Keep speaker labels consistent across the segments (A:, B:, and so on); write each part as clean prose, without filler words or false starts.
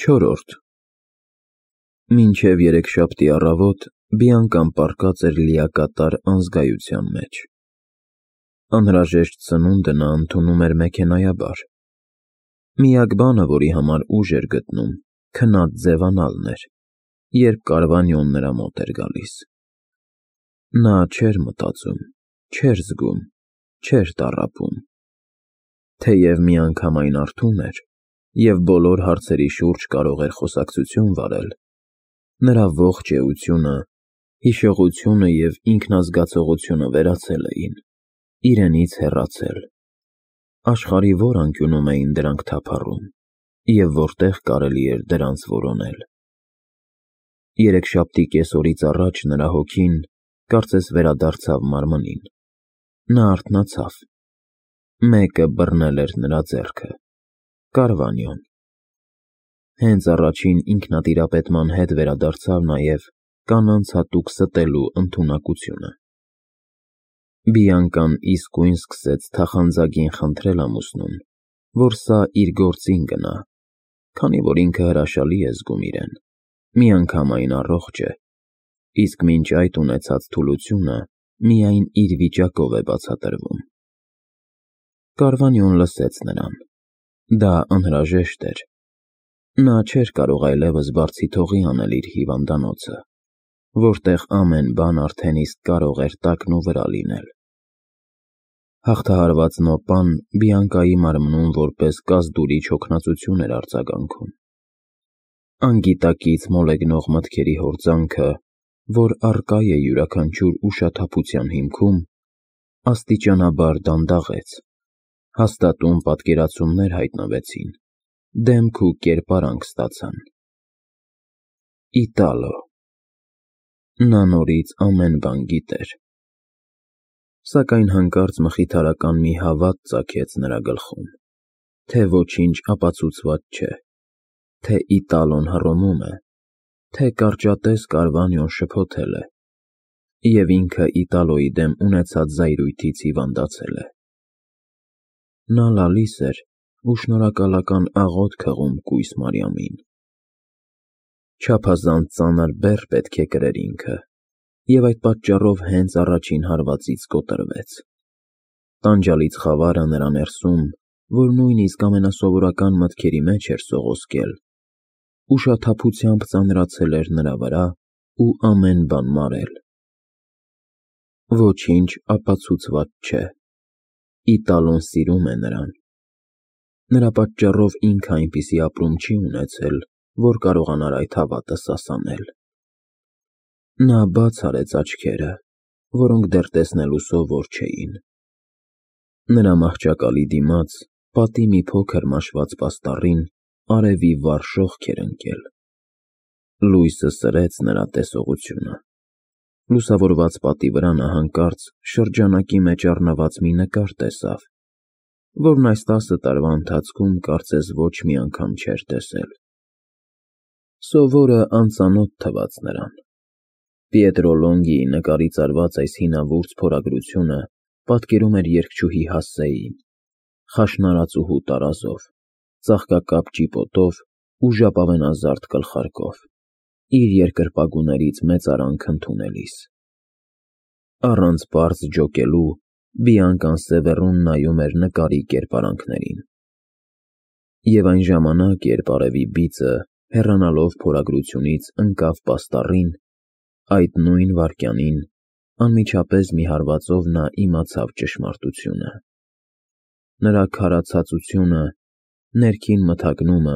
A: Չորրորդ Մինչև երեքշաբթի առավոտ Բիանկան պառկած էր լիակատար անզգայության մեջ։ Անհրաժեշտ սնունդը նա ընդունում էր մեքենայաբար։ Միակ բանը, որի համար ուժ էր գտնում, քնած ձևանալն էր, երբ Կարվանյոն նրա մոտ էր գալիս։ Նա չէր մտածում, չէր զգում, չէր տառապում։ Թեև միանգամայն արթուն էր և բոլոր հարցերի շուրջ կարող էր խոսակցություն վարել, նրա ողջ էությունը, հիշողությունը և ինքնազգացողությունը վերացել էին, իրենից հեռացել։ Աշխարհի որ անկյունում էին դրանք թափառում, և որտեղ կարելի էր դրանց որոնել։ Երեքշաբթի կեսօրից առաջ նրա հոգին կարծես վերադարձավ մարմնին։ Նա արթնացավ։ Մեկը բռնել էր նրա ձեռքը։ Կարվանյոն։ Հենց առաջին ինքնատիրապետման հետ վերադարձավ նաև կանանց հատուկ ստելու ընդունակությունը։ Բիանկան իսկույն սկսեց թախանձագին խնդրել ամուսնուն, որ սա իր գործին գնա, քանի որ ինքը հրաշալի է զգում իրեն, միանգամայն առողջ է, իսկ մինչ այդ ունեցած թուլությունը միայն իր վիճակով է բացատրվում։ Կարվանյոն լսեց նրան։ Դա անհրաժեշտ էր։ Նա չէր կարող այլևս բարձի թողի անել իր հիվանդանոցը, որտեղ ամեն բան արդեն իսկ կարող էր տակնուվրա լինել։ Հաղթահարված նոպան Բիանկայի մարմնում որպես կազդուրիչ հոգնածություն էր արձագանքում։ Անգիտակից մոլեգնող մտքերի հորձանքը, որ առկա է յուրաքանչյուր ուշաթափության հիմքում, աստիճանաբար դանդաղեց, հաստատուն պատկերացումներ հայտնվեցին, դեմք ու կերպարանք ստացան։ Իտալո։ Նա նորից ամեն բան գիտեր։ Սակայն հանկարծ մխիթարական մի հավատ ծագեց նրա գլխում, թե ոչինչ ապացուցված չէ, թե Իտալոն հռոմում է, թե կարճատև Կարվանյոն շփոթել է, և ինքը Իտալոյի դեմ ունեցած զայրույթից հիվանդացել է։ Նա լալիս էր ու շնորհակալական աղոթք հղում կույս Մարիամին։ Չափազանց ծանր բեռ պետք է կրեր ինքը, և այդ պատճառով հենց առաջին հարվածից կոտրվեց։ Տանջալից խավարը նրա ներսում, որ նույնիսկ ամենասովորական մտքերի մեջ էր սողոսկել, ուշաթափությամբ ծանրացել էր նրա վրա ու ամեն բան մարել։ Ոչինչ ապացուցված չէ։ Իտալոն սիրում է նրան։ Նրա պատճառով ինքը այնպիսի ապրում չի ունեցել, որ կարողանար այդ հավատը սասանել։ Նա բաց արեց աչքերը, որոնք դեռ տեսնելու սովոր չէին։ Նրա մահճակալի դիմաց, պատի մի փոքր մաշված պաստառին, արևի վառ շողք էր ընկել։ Լույսը սրեց նրա տեսողությունը։ Լուսավորված պատի վրա նա հանկարծ շրջանակի մեջ առնված մի նկար տեսավ, որն այս 10 տարվա ընթացքում կարծես ոչ մի անգամ չէր տեսել։ Սովորը անծանոթ թվաց նրան։ Պիետրո Լոնգիի նկարից արված այս հինավուրց փորագրությունը պատկերում էր երգչուհի Հասսեին, խաշնարածուհու տարազով, ծաղկակապ ճիպոտով ու ժապավենազարդ գլխարկով, իր երկրպագուներից մեծարանք ընդունելիս։ Առանց պարզ ջոկելու Բիանկան սևեռուն նայում էր նկարի կերպարանքներին։ Եվ այն ժամանակ, երբ արևի բիծը, հեռանալով փորագրությունից, ընկավ պաստառին, այդ նույն վայրկյանին անմիջապես մի հարվածով նա իմացավ ճշմարտությունը։ Նրա քարացածությունը, ներքին մթագնումը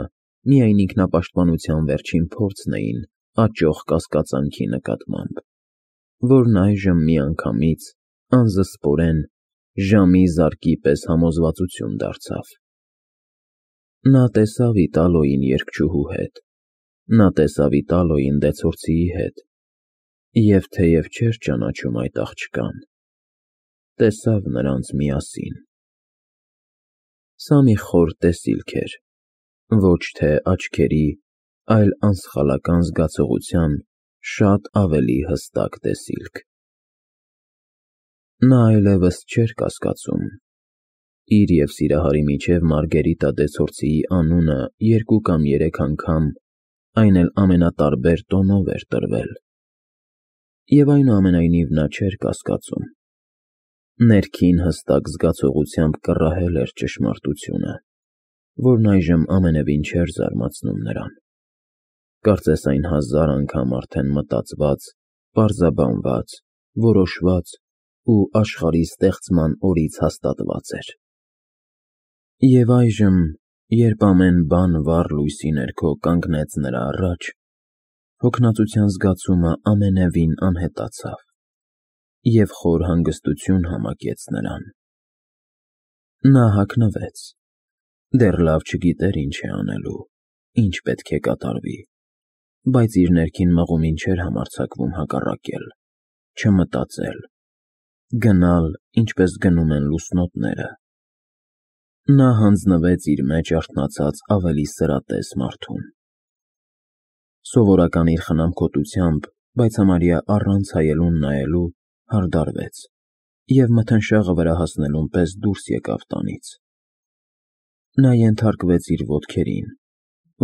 A: միայն ինքնապաշտպանության վերջին փորձն էին աճող կասկածանքի նկատմամբ, որն այժմ միանգամից, անզսպորեն, ժամի զարկի պես համոզվածություն դարձավ։ Նա տեսավ Իտալոյին երգչուհու հետ, նա տեսավ Իտալոյին դեցորցիի հետ, և թեև չէր ճանաչում այդ աղջկան, տեսավ նրանց միասին։ Սա մի խոր տեսիլք էր, ոչ թե աչքերի, այլ անսխալական զգացողության շատ ավելի հստակ տեսիլք։ Նա այլևս չէր կասկածում, Իր և Սիրահարի միջև Մարգերիտա Դեսորցիի անունը 2 կամ 3 անգամ, այն էլ ամենատարբեր տոնով էր տրվել, և այնուամենայնիվ նա չէր կասկածում. ներքին հստակ զգացողությամբ կռահել էր ճշմարտությունը, որն այժմ ամենևին չէր զարմացնում նրան, կարծես այն 1000 անգամ արդեն մտածված, պարզաբանված, որոշված ու աշխարհի ստեղծման օրից հաստատված էր։ Եվ այժմ, երբ ամեն բան վառ լույսի ներքո կանգնեց նրա առաջ, հոգնածության զգացումը ամենևին անհետացավ, և խոր հանգստություն համակեց նրան։ Նա հագնվեց, դեռ լավ չգիտեր ինչ է անելու, ինչ պետք է կատարվի, բայց իր ներքին մղումին չէր համարձակվում հակառակել, չմտածել, գնալ, ինչպես գնում են լուսնոտները։ Նա հանձնվեց իր մեջ արթնացած ավելի սրատես մարդուն։ Սովորական իր խնամքոտությամբ, բայց համարյա առանց հայելուն նայելու, հարդարվեց և մթնշաղը վրա հասնելուն պես դուրս եկավ տանից։ Նա ենթարկվեց իր ոտքերին,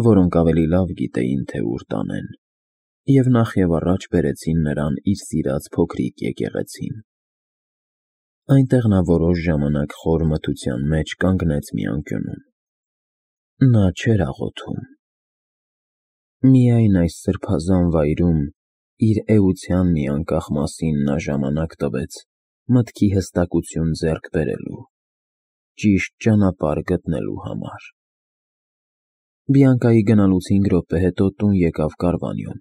A: որոնք ավելի լավ գիտեին, թե ուր տանեն, և նախևառաջ բերեցին նրան իր սիրած փոքրիկ եկեղեցին։ Այնտեղ նա որոշ ժամանակ խոր մթության մեջ կանգնեց մի անկյունում։ Նա չէր աղոթում։ Միայն այս սրբազան վայրում իր էության մի անկախ մասին նա ժամանակ տվեց մտքի հստակություն ձեռք բերելու, ճիշտ ճանապարհ գտնելու համար։ Բիանկայի գնալուց 5 րոպե հետո տուն եկավ Կարվանյոն։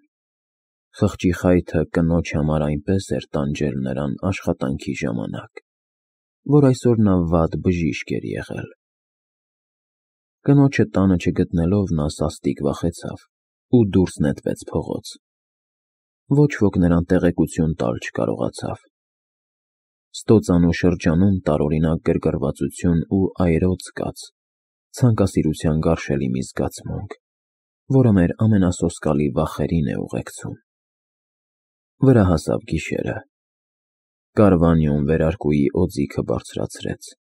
A: Խղճի խայթը կնոջ համար այնպես էր տանջել նրան աշխատանքի ժամանակ, որ այսօր նա վատ բժիշկ էր եղել։ Կնոջը տանը չգտնելով նա սաստիկ վախեցավ ու դուրս նետվեց փողոց։ Ոչ ոք նրան տեղեկություն տալ չկարողացավ։ Ստոծանու շրջանում տարօրինակ գրգռվածություն ու այրոց կաց, ցանկասիրության գարշելի մի զգացմունք, որը մեր ամենասոսկալի վախերին է ուղեկցում։ Վրա հասավ գիշերը։ Կարվանյոն վերարկուի օձիքը բարձրացրեց։